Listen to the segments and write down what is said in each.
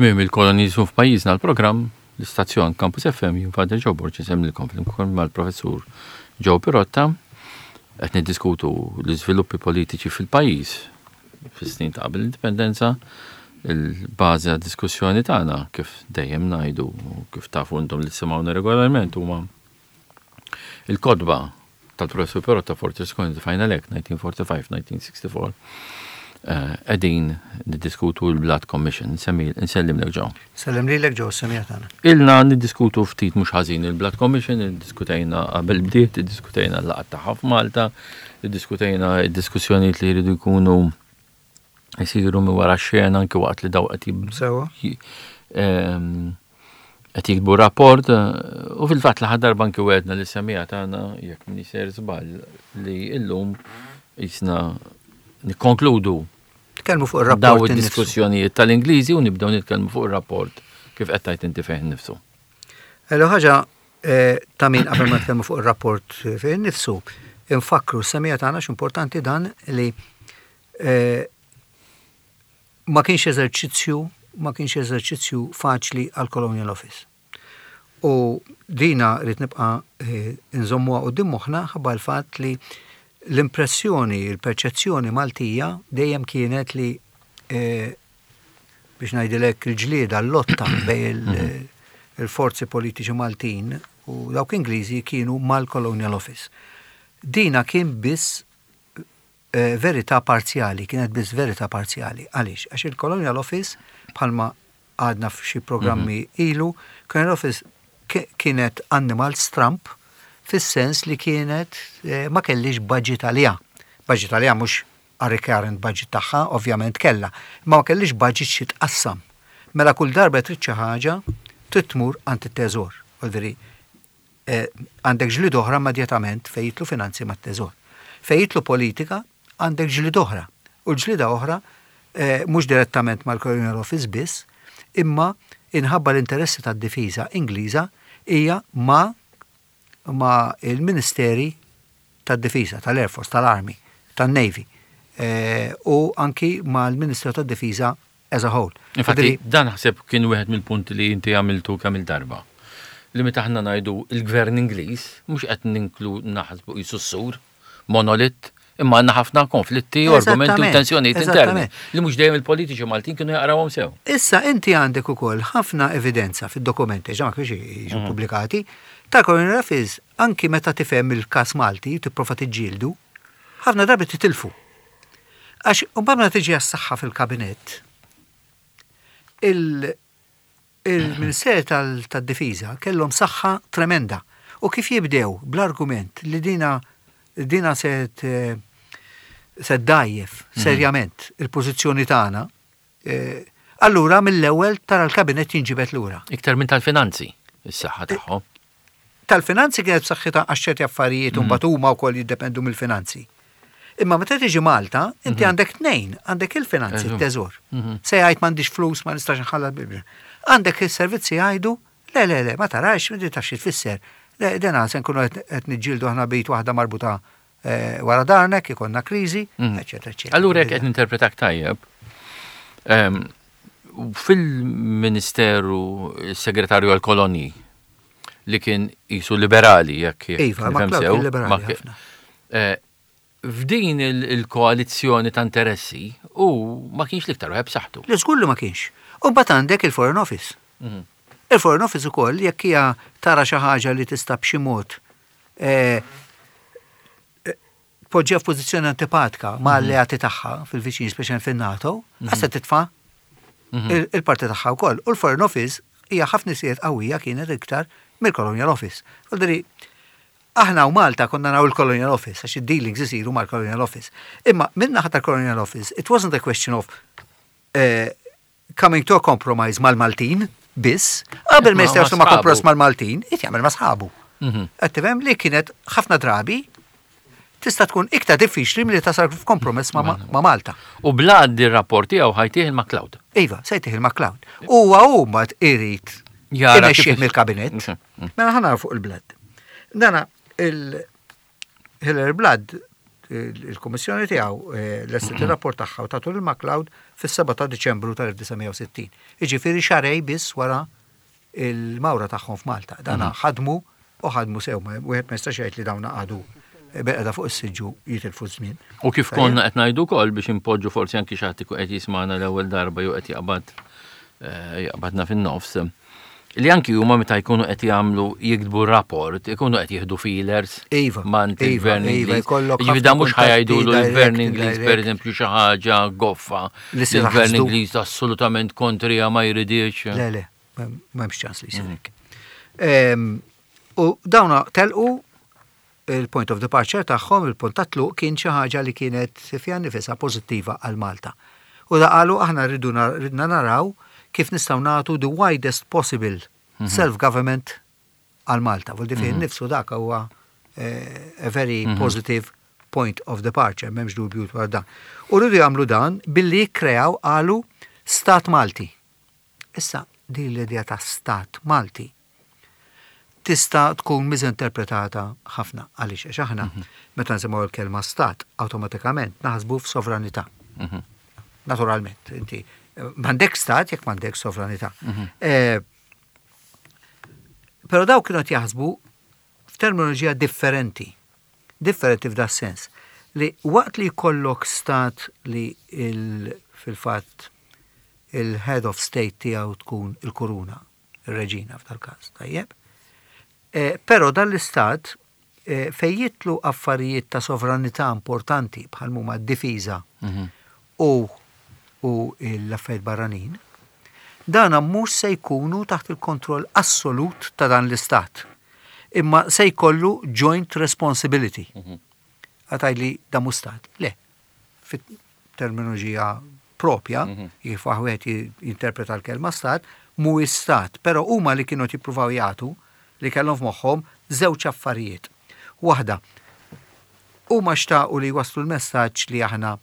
Tmiem il-koloniżmu f'pajjiżna l-programm, l-istazzjon Campus FM, jien Father Joe Borg insellmilkom flimkien mal-Professur Joe Pirotta qed niddiskutu l-iżviluppi politiċi fil-pajjiż fis-snin ta' qabel l-indipendenza, il-bażi għad-diskussjoni tagħna kif dejjem ngħidu u kif tafu intom li tisimgħuna regolarment huma il-kotba tal-Professur Perotta Fortress Coin the Final Act 1945-1964 qegħdin niddiskutu l-Blood Commission. Nsellimlek Joe. Sellem lilek Joe, semija tagħna. Ilna niddiskutu ftit mhux ħażin il-Blood Commission, iddiskutejna qabel bdiet, iddiskutejna l-laqgħat tagħha f'Malta, iddiskutejna d-diskussjonijiet li jridu jkunu jsiru minn wara x-xena anki waqt li daw qed Sewa. Qed jiktbu rapport u fil-fatt l-aħħar darba anki wegħedna li semija tagħna jekk minni ser żball li illum jisna nikkonkludu Tkellmu fuq ir-rapport. Daw id-diskussjonijiet tal-Ingliżi u nibdew nitkellmu fuq ir-rapport kif qed tgħid inti fih innifsu. L ħaġa eh, ta' min qabel ma nitkellmu fuq ir-rapport fih innifsu, infakkru s-semija tagħna x'importanti dan li eh, ma kienx eżerċizzju ma kienx eżerċizzju faċli għal Colonial Office. U dina rrid nibqa' eh, nżommuha quddiem moħħna ħabba l-fatt li l-impressjoni, il-perċezzjoni Maltija dejjem kienet li eh, biex ngħidilek il-ġlieda, l-lotta bejn mhm. il-forzi politiċi Maltin u dawk Ingliżi kienu mal-Colonial Office. Dina kien biss verità parzjali, kienet biss verità parzjali. Għaliex? Għax il-Colonial Office, bħalma għadna f'xi programmi mhm. ilu, Colonial Office kienet annimal stramp fis-sens li kienet eh, ma kellix budget għaliha. Budget għaliha mhux għar-recurrent budget tagħha, ovvjament kellha, imma ma kellix budget xi tqassam. Mela kull darba trid xi ħaġa, trid tmur għand it-teżor. Għandek ġlieda oħra immedjatament fejn jidħlu finanzi mat-Teżor. Fejn jidħlu politika għandek ġlieda oħra. U l-ġlieda oħra mhux direttament mal-Colonial Office biss, imma inħabba l-interessi tad-difiża Ingliża hija ma' ma' il-Ministeri tad-Difiża, tal-Air Force, tal-Army, tan-Navy u anki mal-Ministeru tad-Difiża as a whole. Infatti, dan naħseb kien wieħed mill-punti li inti għamiltu kemm il-darba. Li meta aħna ngħidu il-gvern Ingliż, mhux qed ninklu naħsbu qisu s-sur, monolit, imma għandna ħafna konflitti u argumenti u tensjonijiet interni li mhux dejjem il-politiċi Maltin kienu jaqrawhom sew. Issa inti għandek ukoll ħafna evidenza fid-dokumenti, ġa ma kienx jiġu mhm. pubblikati, tal-Colonial Office anki meta tifhem il-każ Malti tipprova tiġġieldu, ħafna drabi titilfu. Għax mbagħad meta tiġi għas-saħħa fil-kabinett, il-Ministeru tad-Difiża kellhom saħħa tremenda. U kif jibdew bl-argument li dina dina se se ddgħajjef mhm. serjament il-pożizzjoni tagħna, eh, allura mill-ewwel tara l-kabinett jinġibed lura. Iktar minn tal-finanzi, is-saħħa tagħhom. Tal-finanzi kienet b'saħħitha għax ċerti affarijiet u mbagħad huma wkoll jiddependu mill-finanzi. Imma meta tiġi Malta, inti mhm. għandek tnejn, għandek il-finanzi, t-teżor. Mhm. Se jgħid m'għandix flus, ma nistax nħallas bil Għandek is-servizzi jgħidu, le, le, le, ma tarax, ma tafx tfisser. Le, dena se nkunu qed niġġieldu aħna bejt waħda marbuta eh, wara darnek, ikonna kriżi, mhm. eċetera, eċetera. Allura jekk qed ninterpretak tajjeb, ehm, fil-Ministeru Segretarju għal-Kolonji li kien jisu liberali jekk Iva, ma sew. Liberali ħafna. Eh, f'din il-koalizzjoni ta' interessi u ma kienx l-iktar wieħed b'saħħtu. Li żgur li ma kienx. U mbagħad għandek il-Foreign Office. Mhm. Il-Foreign Office ukoll jekk hija tara xi ħaġa li tista' b'xi mod eh, tpoġġiha f'pożizzjoni antipatika ma' mhm. alleati tagħha fil-viċin, speċjalment fin-NATO, mhm. għas se titfa' mhm. il-parti tagħha wkoll. U l-Foreign Office hija ħafna isiet qawwija kienet iktar mill-Colonial Office. Vuol aħna u Malta konna naraw il-Colonial Office, għax id-dealings isiru mal-Colonial Office. Imma minna ħadd tal-Colonial Office, it wasn't a question of eh, coming to a compromise mal-Maltin biss, qabel ma jistgħu ma' kompromess mal-Maltin, qed jagħmel ma' sħabu. Mhm. Qed tifhem li kienet ħafna drabi tista' tkun iktar diffiċli milli tasal f'kompromess ma' Malta. U Blood ir-rapport tiegħu ħajtih il-MacLeod. Iva, se jtih il-MacLeod. Huwa hu mbagħad irid imexxih mill-kabinett. Mhm. Mela ħa fuq il-Blood. Dana il Hillary Blood. Il-kummissjoni tiegħu eh, lestiet ir-rapport tagħha u tatu lil MacLeod fis-7 ta' Diċembru tal-1960. Jiġifieri xahrejn biss wara il-mawra tagħhom f'Malta. Dana mhm. ħadmu u ħadmu sew, wieħed ma jistax jgħid li dawn qagħdu bil-qeda fuq is-siġġu jitilfu żmien. U kif konna qed ngħidu wkoll biex impoġġu forsi anki xi ħadd qed jismagħna l-ewwel darba jew qed jaqbad eh, jaqbadna fin-nofs. Li anki huma meta jkunu qed jagħmlu jiktbu rapport, ikunu qed jieħdu feelers iva, mant iva, il-gvern iva, Ingliż. Jiġifieri dan mhux ħajajdulu l-gvern Ingliż pereżempju xi ħaġa goffa. Li L-gvern Ingliż assolutament kontrija ma jridix. Le, le, m'hemmx ċans li jsir mhm. hekk. Ehm, u dawna telqu il-point of departure tagħhom, il-punt ta' tluq kien xi ħaġa li kienet fiha nifisha pożittiva għal Malta. U da qalu aħna rridu ridna naraw kif nistgħu nagħtu the widest possible mhm. self-government għal Malta. Vuol fih mhm. nifsu dak huwa eh, a very mhm. positive point of departure, m'hemmx dubju dwar dan. U rridu jagħmlu dan billi jikkreaw qalu stat Malti. Issa, din l-idea ta' stat Malti tista' tkun miżinterpretata ħafna. Għaliex? Għax aħna mhm. meta nsimgħu l-kelma stat, awtomatikament naħsbu f'sovranità. Mhm. Naturalment, inti m'għandek stat jekk m'għandek sovranità. Mhm. Eh, però daw kienu qed jaħsbu f'terminoloġija differenti. Differenti f'da sens li waqt li jkollok stat li fil-fatt il-head of state tiegħu tkun il-kuruna, ir-reġina f'dal-każ, tajjeb. Eh, però dan l-istat eh, fejn jitlu affarijiet ta' sovranità importanti bħal huma d-difiża mhm. u u l-affarijiet barranin, dana mhux se jkunu taħt il-kontroll assolut ta' dan l-istat. Imma se jkollu joint responsibility. Mhm. Għataj li da mhux stat. Le, fit-terminoloġija propja, mhm. kif wieħed jinterpreta l-kelma stat, mhuwiex stat, però huma li kienu jippruvaw jagħtu li kellhom f'moħħhom żewġ affarijiet. Waħda, huma xtaqu li jwasslu l-messaġġ li aħna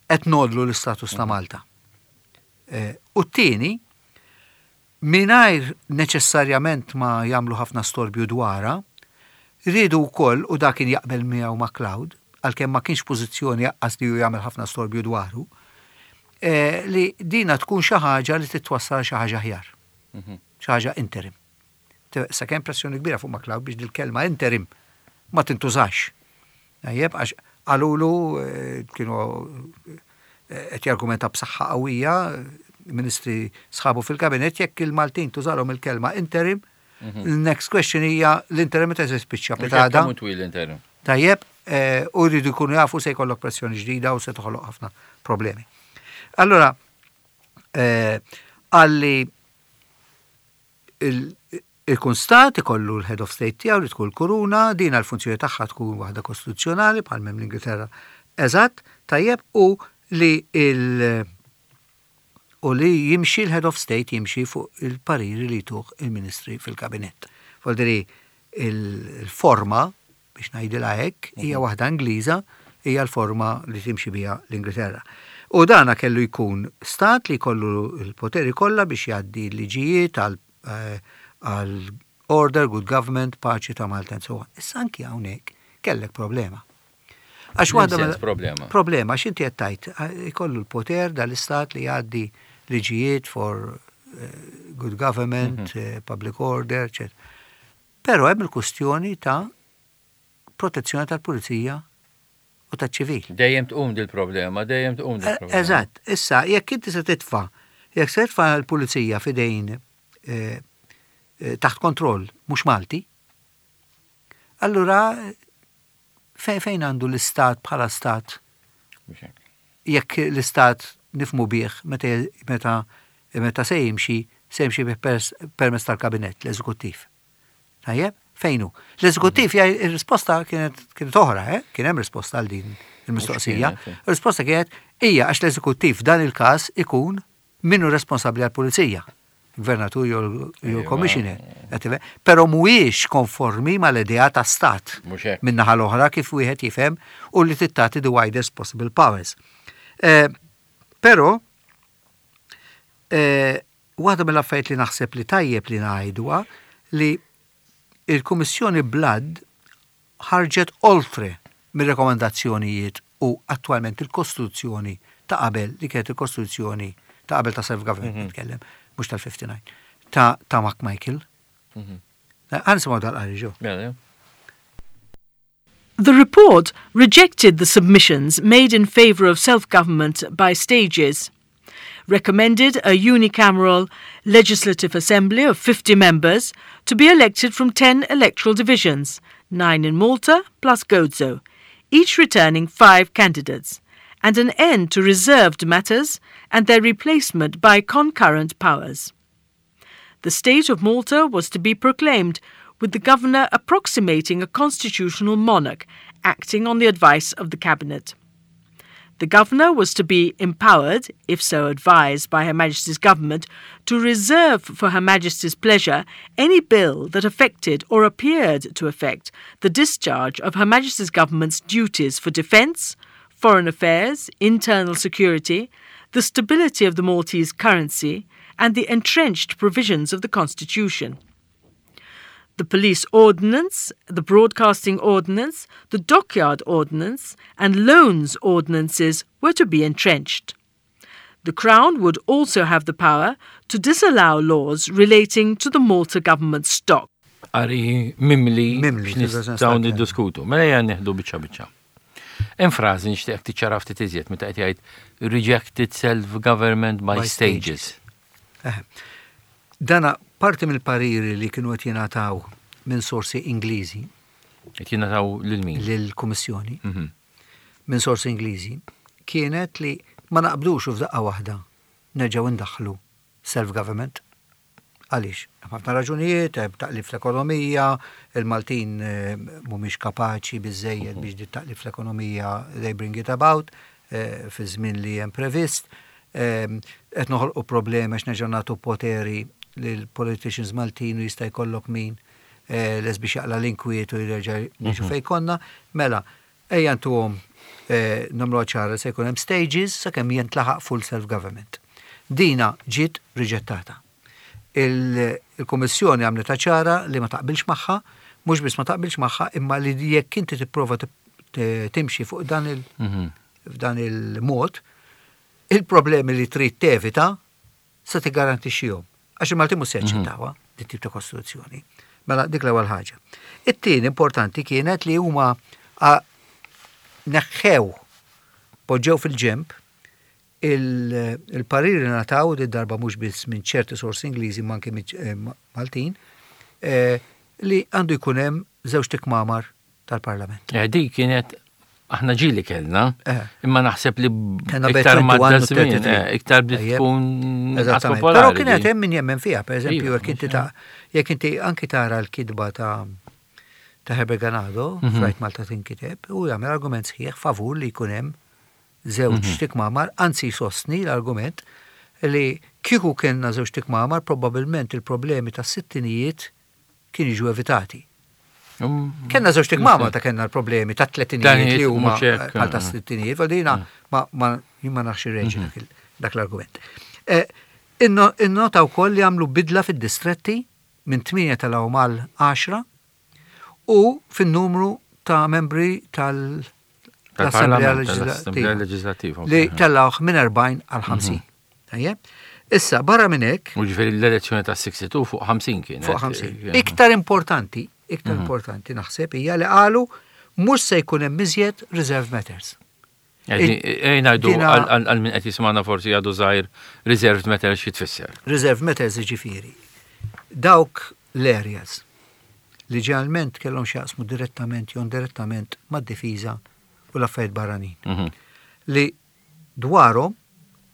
qed ngħollu l-istatus ta' mhm. Malta. Eh, u t-tieni, mingħajr neċessarjament ma jagħmlu ħafna storbju dwarha, riedu wkoll, u dak kien jaqbel miegħu MacLeod, għalkemm ma kienx pożizzjoni aqqas li hu jagħmel ħafna storbju dwaru, eh, li dina tkun xi ħaġa li titwassal xi ħaġa aħjar. Mhm. Xi ħaġa interim. Sa kemm pressjoni kbira fuq MacLeod biex dil-kelma interim ma tintużax. Tajjeb, għax qalulu eh, kienu eh, qed jargumenta b'saħħa qawwija ministri sħabu fil-kabinet jekk il-Maltin tużalhom il-kelma interim, mhm. next question hija l-interim meta se spiċċa pitada. twil interim. Tajjeb, eh, u jridu jkunu jafu se jkollok pressjoni ġdida u se toħloq ħafna problemi. Allora, għalli Ikun stat ikollu l-head of state tiegħu li tkun l-kuruna, din l-funzjoni tagħha tkun waħda kostituzzjonali bħal m'hemm l-Ingilterra eżatt, tajjeb, u li il u li jimxi l-head of state jimxi fuq il-pariri li jtuh il-ministri fil-kabinett. Vuol il-forma biex ngħidilha hekk, hija mhm. waħda Ingliża, hija l-forma li timxi biha l-Ingilterra. U dana kellu jkun stat li jkollu l-poteri kollha biex jgħaddi liġijiet għal eh, għal order, good government, paċi ta' Malta and so on. Issa anki hawnhekk kellek problema. Għax waħda problema. Problema, għax inti qed tgħid eh, ikollu l-poter dal-istat li jgħaddi liġijiet for eh, good government, mm -hmm. public order, etc. Però hemm il-kustjoni ta' protezzjoni tal-pulizija u taċ-ċivil. Dejjem tqum dil-problema, dejjem tqum dil-problema. Eżatt, issa jekk inti se titfa' jekk se titfa' l-pulizija f'idejn eh, eh, taħt kontroll mhux Malti, allura fejn għandu l-istat bħala stat? Jekk l-istat nifmu bih meta meta se jimxi, se jimxi bih permezz tal-kabinett, l-eżekuttiv. Tajjeb, fejn hu? L-eżekuttiv jgħid ir-risposta kienet kienet oħra, eh? Kien hemm risposta għal din il-mistoqsija. Ir-risposta kienet hija għax l-eżekuttiv f'dan il-każ ikun minnu responsabbli għall-pulizija. Gvernatur jew commissioner. Però mhuwiex konformi mal-idea ta' stat. Min-naħa l-oħra kif wieħed jifhem u li tittati the widest possible powers. Eh, però eh, waħda mill-affarijiet li naħseb li tajjeb li ngħidwa li il-Kummissjoni Blood ħarġet oltre. mir-rekomandazzjonijiet u attwalment il-Kostituzzjoni ta' qabel li kienet il-Kostituzzjoni ta' qabel ta' self-government nitkellem, mhux tal-59, ta' ta' McMichael. Ħa nisimgħu dal-qari Joe. Mela, The report rejected the submissions made in favour of self-government by stages, recommended a unicameral legislative assembly of 50 members to be elected from 10 electoral divisions, 9 in Malta plus Gozo, each returning 5 candidates, and an end to reserved matters and their replacement by concurrent powers. The state of Malta was to be proclaimed with the governor approximating a constitutional monarch acting on the advice of the cabinet. The governor was to be empowered, if so advised by Her Majesty's government, to reserve for Her Majesty's pleasure any bill that affected or appeared to affect the discharge of Her Majesty's government's duties for defence, foreign affairs, internal security, the stability of the Maltese currency, and the entrenched provisions of the Constitution. The Police Ordinance, the Broadcasting Ordinance, the Dockyard Ordinance, and Loans Ordinances were to be entrenched. The Crown would also have the power to disallow laws relating to the Malta government stock. Qari mimli Mimli, x'nistgħu niddiskutu. Mela ejja nieħdu biċċa biċċa. Hemm frażi nixtieqek tiċċara ftit iżjed meta qed jgħid rejected self-government by By stages. Eh. Dana parti mill-pariri li kienu qed jingħataw minn sorsi Ingliżi Qed jingħataw lil min? lill-Kummissjoni minn sorsi Ingliżi kienet li ma naqbdux u f'daqqa waħda nerġgħu ndaħħlu self-government. Għaliex? Hemm ħafna raġunijiet, hemm taqlib fl-ekonomija, il-Maltin eh, mhumiex kapaċi biżejjed biex di taqlib fl-ekonomija they bring it about eh, fi żmien li hemm previst. Eh, Qed noħolqu problemi għax nerġgħu nagħtu poteri lil politicians Maltin u jista' jkollok min eh, les biex jaqla l-inkwiet u jerġa' niġu fejn konna. Mela, ejja ntuhom eh, nagħmlu ċara se jkun hemm stages sakemm jintlaħaq full self-government. Dina ġiet riġettata. Il-Kummissjoni għamlet ċara li ma taqbilx magħha, mhux biss ma taqbilx magħha, imma li jekk inti tipprova timxi fuq dan il f'dan il-mod, il-problemi li trid tevita se tigarantixxihom. Għax il-Maltin mhux se jaċċettawha dit tip ta' kostituzzjoni. Mela dik l-ewwel ħaġa. It-tieni importanti kienet li huma neħħew poġġew fil-ġemp il-pariri li ngħataw di darba mhux biss minn ċerti sorsi Ingliżi ma anke minn eh, Maltin eh, li għandu jkun hemm żewġ kmamar tal-Parlament. Eh, Dik kienet aħna ġieli kellna, Eh. imma naħseb li Kellna iktar bejn ma 21 u żmien, 33. eh, iktar bdiet Tajjeb. tkun inqas Eżattament. popolari. Però kienet din. hemm min jemmen fiha, per eżempju, Iva, jekk inti ta' jekk inti anki tara l-kitba ta' ta' Herbert Ganado, f'Rajt Malta tinkiteb, u jagħmel argument sħiħ favur li jkun hemm żewġ tikmamar, anzi jsostni l-argument li kieku kellna żewġ tikmamar, probabbilment il-problemi tas sittinijiet kienu jiġu evitati. Kenna żewġ tikmamar ta' kenna l-problemi ta' tletinijiet li huma mhux hekk, bħal ta' sittinijiet, għal ma ma jien ma nafx irreġi dak il- dak l-argument. Eh, Innota wkoll li għamlu bidla fid-distretti minn 8 tal mal 10 u fin-numru ta' membri tal- l-Assemblea Tal-Parlament, tal-Assemblea Leġislattiva Leġislattiva. li tellawh minn 40 għal 50. Tajjeb? Issa, barra minn hekk, U ġifieri l-elezzjoni ta' 62 fuq 50 kienet. fuq 50. Iktar importanti, iktar importanti naħseb hija li qalu mhux se jkun hemm iżjed reserve matters. Ejn ngħidu Dina- għal min qed jismana forsi għadu żgħir reserved matter xi tfisser. Reserve matters jiġifieri. Dawk l-areas li ġeneralment kellhom x'jaqsmu direttament jew indirettament mad-difiża u l-affarijiet barranin. Li dwarhom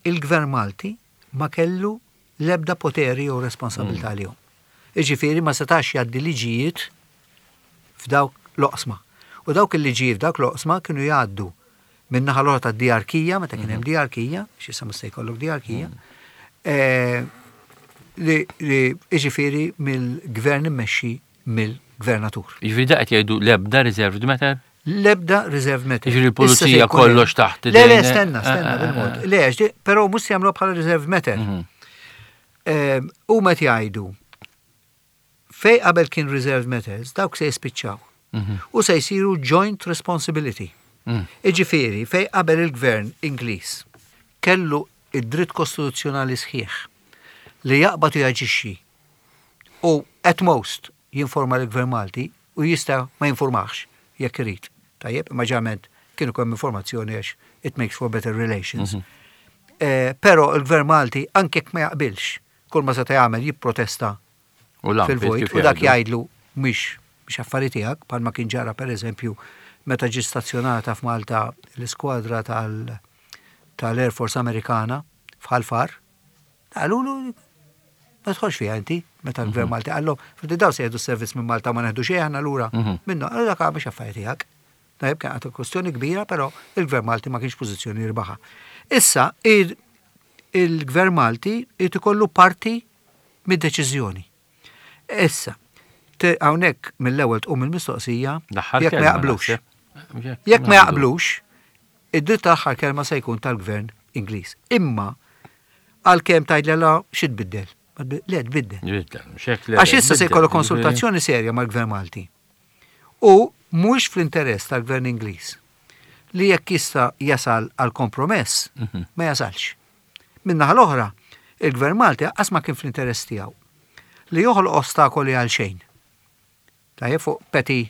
il-Gvern Malti ma kellu l-ebda poteri jew responsabilità għalihom. Jiġifieri ma setax jgħaddi liġijiet f'dawk l-oqsma. U dawk il-liġijiet f'dawk l-oqsma kienu jgħaddu minn naħa l-oħra ta' diarkija, meta kien hemm diarkija, x'issa mhux se jkollok diarkija, eh, li li jiġifieri mill-gvern immexxi mill-gvernatur. Ġifieri da qed jgħidu l-ebda reserved matter? L-ebda reserve matter. Jiġifieri Issa se l-pulizija jkun hemm- kollox taħt Le, le, idejn- stenna, Eh, stenna, eh, bil-mod. eh. Le, għax di- però mhux se jagħmluha bħala reserve matter. U meta jgħidu fej qabel kien reserve matters, dawk se jispiċċaw. U se jsiru joint responsibility. Iġifieri fejn qabel il-Gvern Ingliż kellu id-dritt kostituzzjonali sħiħ li jaqbad u jaġixxi u at most jinforma lill-Gvern Malti u jista' ma jinformahx jekk irid. Tajjeb, imma ġeneralment kien ikun hemm informazzjoni għax it makes for better relations. Però il-Gvern Malti anke jekk ma jaqbilx, kull ma seta' jagħmel jipprotesta fil-vojt u dak jgħidlu mhix mhix affari tiegħek, bħalma kien ġara pereżempju meta ġiet stazzjonata f'Malta l-iskwadra tal tal-Air Force Amerikana f'Ħal Far. Qalulu ma tidħolx fiha inti, meta l-Gvern Malti qallhom, fil daw se jieħdu s-servizz minn Malta ma neħdu xejn aħna lura minnu, qalu dak mhix affari tiegħek. Tajjeb kien għad kwestjoni kbira, però il-Gvern Malti ma kienx pożizzjoni jirbaħha. Issa il-Gvern Malti irid ikollu parti mid-deċiżjoni. Issa, hawnhekk mill-ewwel tqum il-mistoqsija jekk ma jaqblux. Jekk ma jaqblux, id-dritt tal-aħħar kelma se jkun tal-Gvern Ingliż. Imma għalkemm tgħidli la xi tbiddel? Le tbiddel. Għax issa se jkollu konsultazzjoni serja mal-Gvern Malti. U mhux fl-interess tal-Gvern Ingliż li jekk jista' jasal għal kompromess ma jasalx. Min-naħa l-oħra, il-Gvern Malti lanqas ma kien fl-interess tiegħu li joħloq ostakoli għal xejn. Tajjeb fuq petty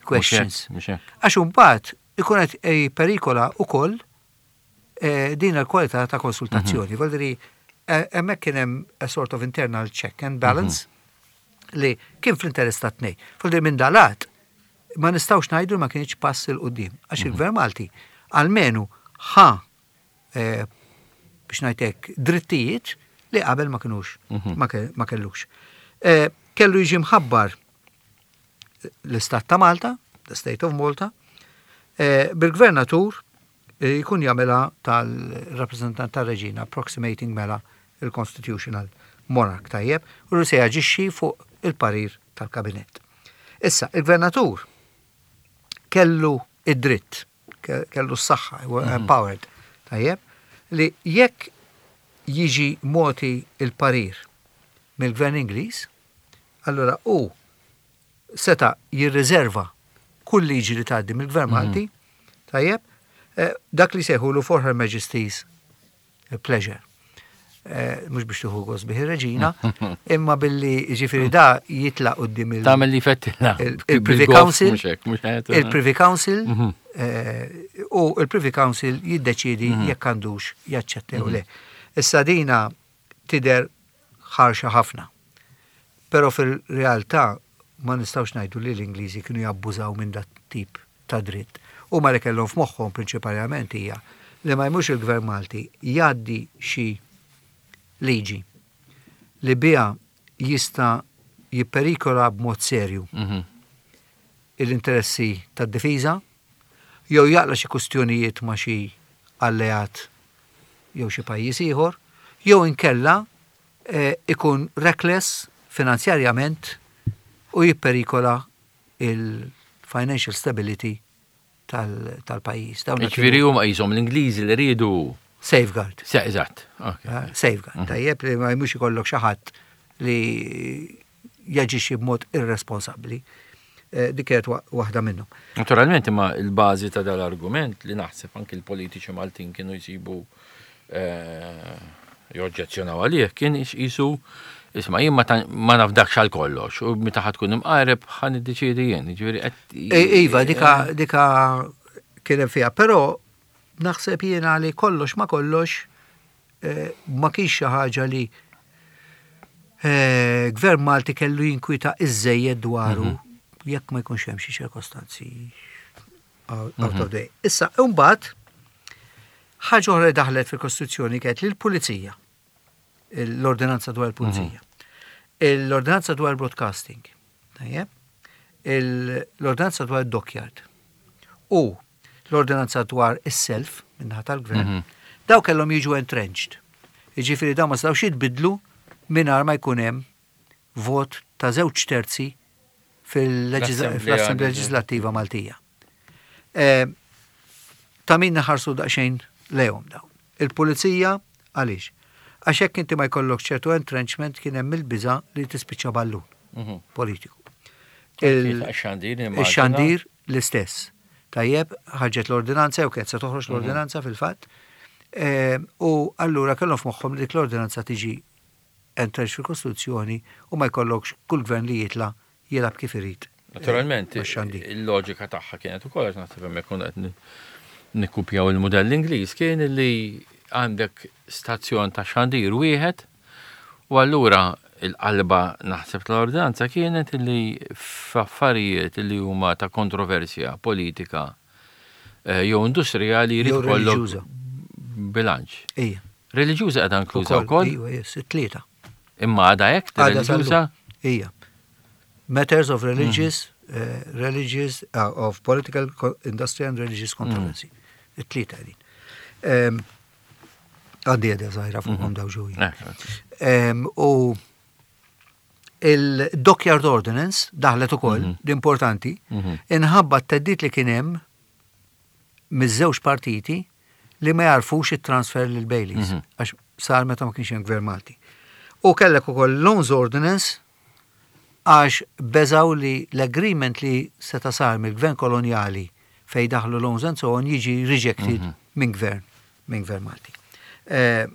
questions. Għax imbagħad ikun qed jipperikola wkoll din il-kwalità ta' konsultazzjoni. Vuol hemmhekk kien hemm a sort of internal check and balance li kien fl-interess ta' tnej. Vuol minn dalat ma nistgħux ngħidu ma kienx pass 'il quddiem għax il-Gvern Malti almenu ħa biex ngħidlek drittijiet li qabel ma kinux ma kellux. Kellu jiġi mħabbar l-Istat ta' Malta, the State of Malta, bil-gvernatur jkun jagħmilha tal-rappreżentant tar-reġina, approximating mela il-constitutional monarch tajjeb, u li se jaġixxi fuq il-parir tal-kabinett. Issa, il-gvernatur kellu id-dritt, kellu s-saħħa, empowered, tajjeb, li jekk jiġi moti il-parir mill-gvern Ingliż, allora u seta jirriserva kull liġi li tgħaddi mill-gvern Malti, tajjeb, dak li sejħulu for Her Majesty's pleasure. Mhux biex tieħu gost bih ir-reġina, imma billi ġifieri da jitlaq quddiem il- Tagħmel li fettilla. Il-Privy Council, il-Privy Council, u il-Privy Council jiddeċidi jekk għandux jaċċetta jew le. Issa dina tidher ħarxa ħafna. Però fil-realtà ma nistgħux ngħidu li l-Ingliżi kienu jabbużaw minn dat tip ta' dritt. U ma li kellhom f'moħħhom prinċipalment hija li ma jmux il-Gvern Malti jgħaddi xi liġi li biha jista' jipperikola b'mod serju l-interessi tad-difiża jew jaqla xi kustjonijiet ma' xi alleat jew xi pajjiż ieħor, jew inkella ikun reckless finanzjarjament u jipperikola il-financial stability tal-pajjiż. Ġifieri huma qishom l-Ingliżi li riedu Safeguard. Eżatt. Safeguard. Tajjeb li ma jmux ikollok xi ħadd li jaġixxi b'mod irresponsabbli. Dik kienet waħda minnhom. Naturalment imma il-bażi ta' dal-argument li naħseb anki l-politiċi Maltin kienu jsibu joġġezzjonaw għalih kien jisu isma' jien ma nafdakx għal kollox u meta ħa tkun imqareb ħa niddeċiedi jien. Ġifieri qed Iva, dika kien hemm fiha, però naħseb jiena li kollox ma kollox ma kienx xi ħaġa li Gvern Malti kellu jinkwita iżżejjed dwaru jekk ma jkunx hemm xi ċirkostanzi out of the Issa, imbagħad ħaġa oħra li daħlet fil-Kostituzzjoni kienet li l-Pulizija, l-Ordinanza dwar il-Pulizija, l-Ordinanza dwar il-Broadcasting, tajjeb, l-Ordinanza dwar il-Dockyard u l-Ordinanza dwar is-self min-naħa tal-Gvern, daw kellhom jiġu entrenched. Jiġifieri daw ma setgħux jitbidlu mingħajr ma jkun hemm vot ta' 2/3 fl-Assemblea Leġislattiva Maltija. Ta' min naħarsu daqsxejn lejhom dawn. Il-pulizija għaliex? Għax hekk inti ma jkollok ċertu entrenchment kien hemm il-biża li tispiċċa ballun politiku. Il-xandir l-istess. Tajjeb, ħarġet l-ordinanza jew kienet se toħroġ l-ordinanza fil-fatt. U allura kellhom f'moħħhom li dik l-ordinanza tiġi entrenched fil-Kostituzzjoni u ma jkollokx kull gvern li jitla' jilgħab kif irid. Naturalment, il-loġika tagħha kienet ukoll għax naħseb hemmhekk konna qed nikkupjaw il-mudell Ingliż kien li għandek stazzjon ta' xandir wieħed u allura il-qalba naħseb tal-ordinanza kienet li f'affarijiet li huma ta' kontroversja politika eh, jew industrijali jrid ikollok bilanċ. Ija. Reliġjuża qiegħda inkluża wkoll? Iva, yes, it-tlieta. Imma għadha hekk reliġjuża? Ija. Matters of religious, mm. religious, of political, industrial and religious controversy. Mm. It-tlieta din. Għandi għedha zaħira fuqhom mhm. daw ġuji. Eh, u il-Dockyard Ordinance daħlet ukoll, mhm. l-importanti, mhm. inħabba t-teddit li kien hemm miż-żewġ partiti li ma jarfux it-transfer lil Baileys, għax sar meta ma kienx hemm gvern Malti. U kellek ukoll Loans Ordinance għax beżgħu li l-agreement li seta' sar mill-gvern kolonjali fejn daħlu loans and so on jiġi rejected mhm. minn gvern minn gvern Malti. Eh,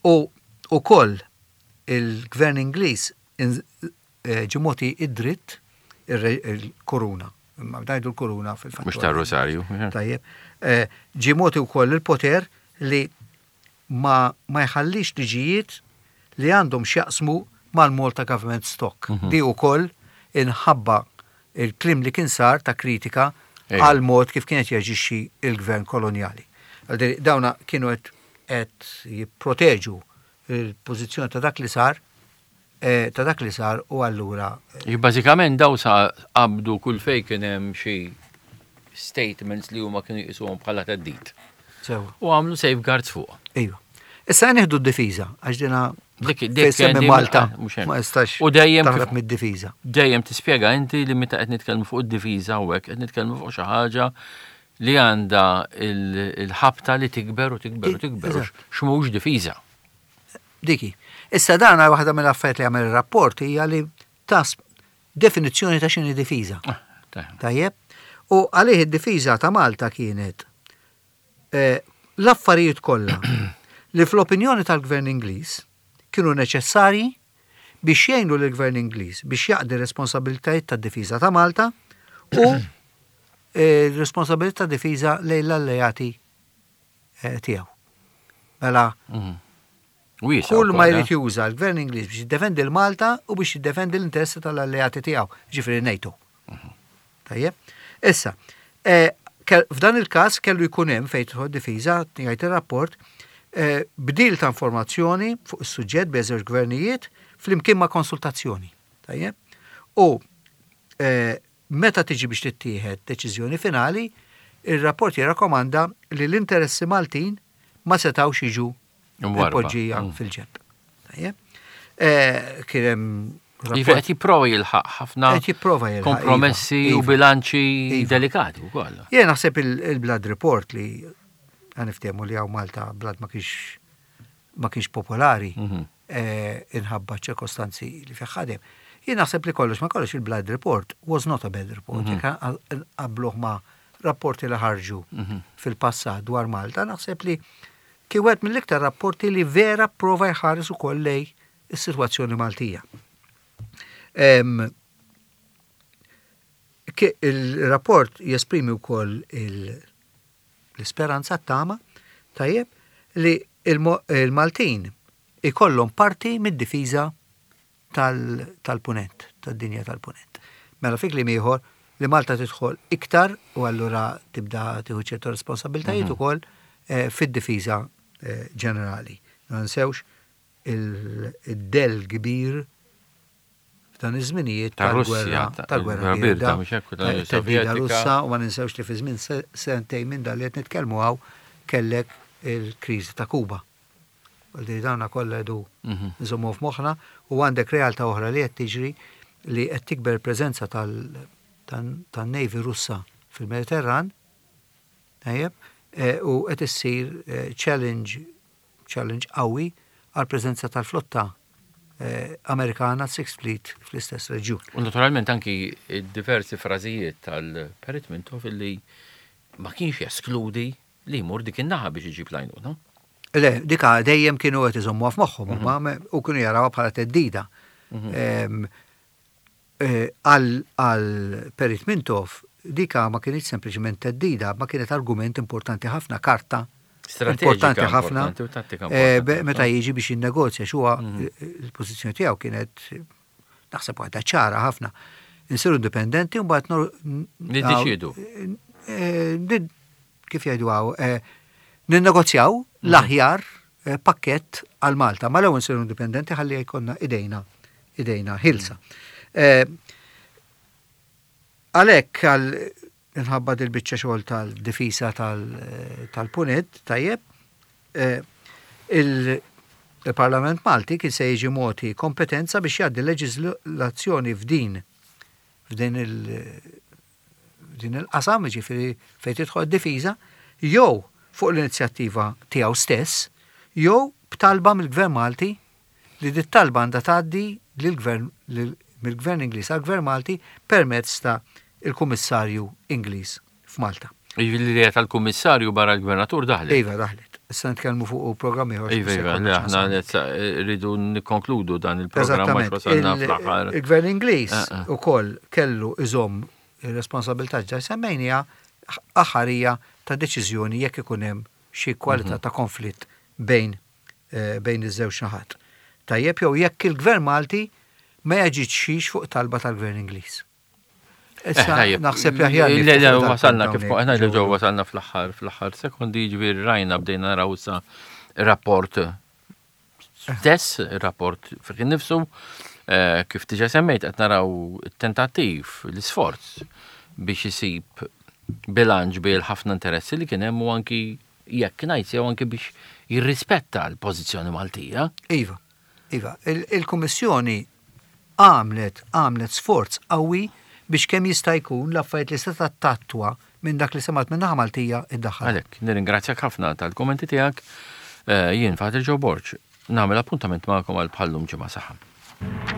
u ukoll il-gvern Ingliż eh, ġimoti id-dritt il-koruna. Imma ngħidu l-kuruna fil-fatt. Mhux tar-Rosarju. Tajjeb. Eh, ġie mogħti wkoll il-poter li ma, ma jħallix liġijiet li għandhom x'jaqsmu mal-Malta Government Stock. Mhm. Di wkoll inħabba il-klim li kien sar ta' kritika għal mod kif kienet jaġixxi il-gvern kolonjali. Dawna kienu qed jipproteġu il-pożizzjoni ta' dak li sar Eh, ta' dak li sar u allura. Eh, bażikament daw sa qabdu kull fej kien hemm xi statements li huma kienu jqisuhom bħala theddid. Sewa. U għamlu safeguards fuq. Iva. Issa nieħdu d-difiża għax dina Dik dik Malta ma jistax. U dejjem taħrab mid-difiża. Dejjem tispjega inti li meta qed nitkellmu fuq id-difiża hawnhekk qed nitkellmu fuq xi ħaġa li għandha il-ħabta li tikber u tikber u tikber. X'mhux difiża. Dik hi. Issa dan waħda mill-affarijiet li għamel ir-rapport hija li tas definizzjoni ta' x'inhi difiża. Ah, Tajjeb? U għalih id-difiża ta' Malta kienet eh, l-affarijiet kollha li fl-opinjoni tal-Gvern Ingliż kienu neċessarji biex jgħinu lill-Gvern Ingliż biex jaqdi responsabilitajiet tad-difiża ta' Malta u eh, responsabilità ta' difiża lejn l-alleati eh, tiegħu. Mela, mhm. kull ma jrid juża l-gvern Ingliż biex jiddefendi l-Malta u biex jiddefendi l-interessi tal-alleati tiegħu, ġifieri NATO. Mhm. Tajjeb. Issa, eh, f'dan il-każ kellu jkun hemm fejn tidħol difiża, jgħid ir-rapport, eh, bdil ta' informazzjoni fuq is-suġġett bejn żewġ gvernijiet flimkien ma' konsultazzjoni. Tajjeb. U Meta tiġi biex tittieħed deċiżjoni finali, ir-rapport jirrakkomanda li l-interessi Maltin ma setgħux jiġu mpoġġija mm. fil-ġenb. Eh, kien hemm Iva qed jipprova jilħaq ħafna qed jipprova jilħaq iva, kompromessi u iva. bilanċi iva. delikati wkoll. Jien naħseb il-Blood Report li għaniftehmu li hawn Malta Blood ma kienx ma kienx popolari. Mhm. inħabba ċ-ċirkostanzi li fih ħadem. Jien naħseb li kollox ma kollox il-Blood Report was not a bad report. Mhm. Jekk nqabbluh ma' rapporti li ħarġu mhm. fil-passat dwar Malta, naħseb li kien wieħed mill-iktar rapporti li vera prova jħares ukoll lej is-sitwazzjoni Maltija. Il-rapport jesprimi wkoll l-isperanza t-tama tajjeb li il-Maltin ikollhom parti mid-difiża tal-Punent, tad-dinja tal-Punent. Mela fi kliem ieħor li Malta tidħol iktar u allura tibda tieħu ċertu responsabbiltajiet mhm. ukoll eh, fid-difiża eh, ġenerali. Ma nsewx il-del kbir f'dan iż-żminijiet tal-gwerra tal-gwerra birda, tal-Sovjetika Russa u ma ninsewx li fi żmien sentejn minn dan li qed nitkellmu hawn kellek il-kriżi ta' Kuba. Għaldi dawna kollha edu mhm. nżommu f'moħħna u għandek realtà oħra li qed tiġri li qed tikber preżenza tan-Navy Russa fil-Mediterran, tajjeb, eh, u qed issir eh, challenge challenge qawwi għall-preżenza tal-flotta Amerikana Sixth Fleet fl-istess reġjun. U naturalment anki diversi frażijiet tal-Perit Mintoff illi ma kienx jeskludi li jmur dik in-naħa biex iġib l-għajnuna. Le, dika dejjem kienu qed iżommuha f'moħħhom huma u kienu jarawha bħala theddida. Għal Perit Mintoff dika ma kinitx sempliċement theddida, ma kienet argument importanti ħafna, karta importanti ħafna meta jiġi biex jinnegozja x'huwa il-pożizzjoni tiegħu kienet naħseb waħda ċara ħafna. Insiru indipendenti u mbagħad niddeċiedu. Kif jgħidu hawn, ninnegozjaw l-aħjar pakkett għal Malta. Ma l-ewwel nsiru indipendenti ħalli jkollna idejna idejna ħilsa. Għalhekk għal minħabba dil-biċċa xogħol tal-difisa tal-punent, tajjeb, il-Parlament Malti kien se jiġi mogħti kompetenza biex jgħaddi leġiżlazzjoni f'din f'din il din il-qasam, jiġifieri fejn tidħol id-difiża, jew fuq l-inizjattiva tiegħu stess, jew b'talba mill-Gvern Malti li dit-talba għandha tgħaddi lill-Gvern mill-Gvern Ingliż għall-Gvern Malti permezz ta' il-Kummissarju Ingliż f'Malta. Jiġifieri l-idea tal-Kummissarju barra l-Gvernatur daħlet? Iva, daħlet. Issa nitkellmu fuq programm ieħor. Iva, iva, le aħna rridu nikkonkludu dan il-programm għax wasalna fl-aħħar. Il-Gvern Ingliż ukoll kellu iżomm ir-responsabilità ġa semmejniha aħħarija ta' deċiżjoni jekk ikun hemm xi kwalità ta' konflitt bejn bejn iż-żewġ naħat. Tajjeb jew jekk il-Gvern Malti ma jaġixxix fuq talba tal-Gvern Ingliż. Issa eh, naħseb li aħjar. Le, le, wasalna kif aħna li ġew wasalna fl-aħħar fl-aħħar sekondi jiġifieri rajna bdejna naraw issa rapport stess, rapport fih innifsu, eh, kif diġà semmejt qed naraw tentattiv, l-isforz biex isib bilanċ bejn ħafna interessi li kien hemm u anki jekk ngħid sew anki biex jirrispetta l-pożizzjoni Maltija. Iva, iva, il-Kummissjoni għamlet għamlet sforz qawwi biex kemm jista' jkun l-affarijiet li setgħet tattwa minn dak li semgħet min-naħa Maltija iddaħħalha. Għalhekk, nirringrazzjak ħafna tal-kummenti tiegħek. Jien Father Joe Borg, nagħmel appuntament magħkom għal bħal-lum ġimgħa saħħa.